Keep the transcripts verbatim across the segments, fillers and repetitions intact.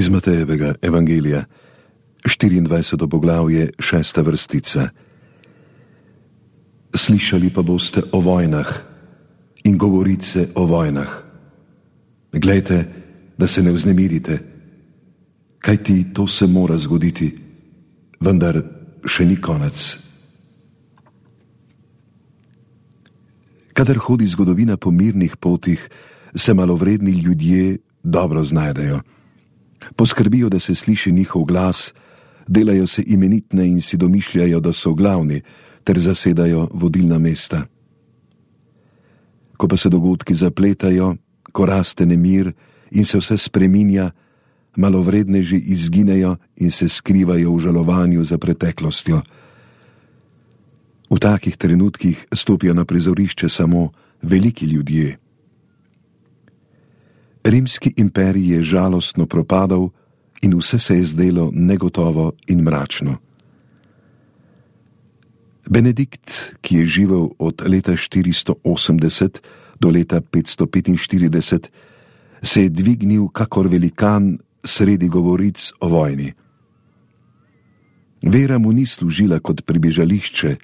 Iz Matejevega evangelija, štiriindvajseto poglavje, šesta vrstica. Slišali pa boste o vojnah in govorice o vojnah. Glejte, da se ne vznemirite, kajti to se mora zgoditi, vendar še ni konec. Kadar hodi zgodovina po mirnih potih, se malovredni ljudje dobro znajdejo. Poskrbijo, da se sliši njihov glas, delajo se imenitne in si domišljajo, da so glavni, ter zasedajo vodilna mesta. Ko pa se dogodki zapletajo, ko raste nemir in se vse spreminja, malovredneži izginejo in se skrivajo v žalovanju za preteklostjo. V takih trenutkih stopijo na prizorišče samo veliki ljudje. Rimski imperij je žalostno propadal in vse se je zdelo negotovo in mračno. Benedikt, ki je živel od leta štiristo osemdeset do leta petsto petinštirideset, se je dvignil kakor velikan sredi govoric o vojni. Vera mu ni služila kot pribežališče,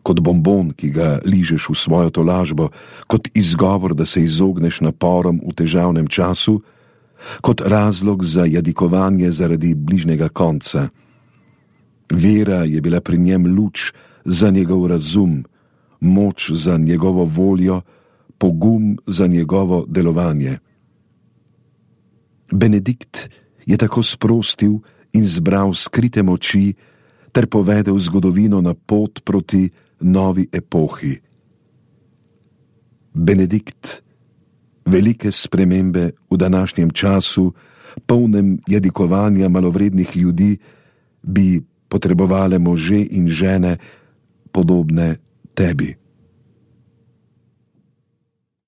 kot bonbon, ki ga ližeš v svojo tolažbo, kot izgovor, da se izogneš naporom v težavnem času, kot razlog za jadikovanje zaradi bližnjega konca. Vera je bila pri njem luč za njegov razum, moč za njegovo voljo, pogum za njegovo delovanje. Benedikt je tako sprostil in zbral skrite moči ter povedel zgodovino na pot proti novi epohi. Benedikt, velike spremembe v današnjem času, polnem jadikovanja malovrednih ljudi, bi potrebovale može in žene, podobne tebi.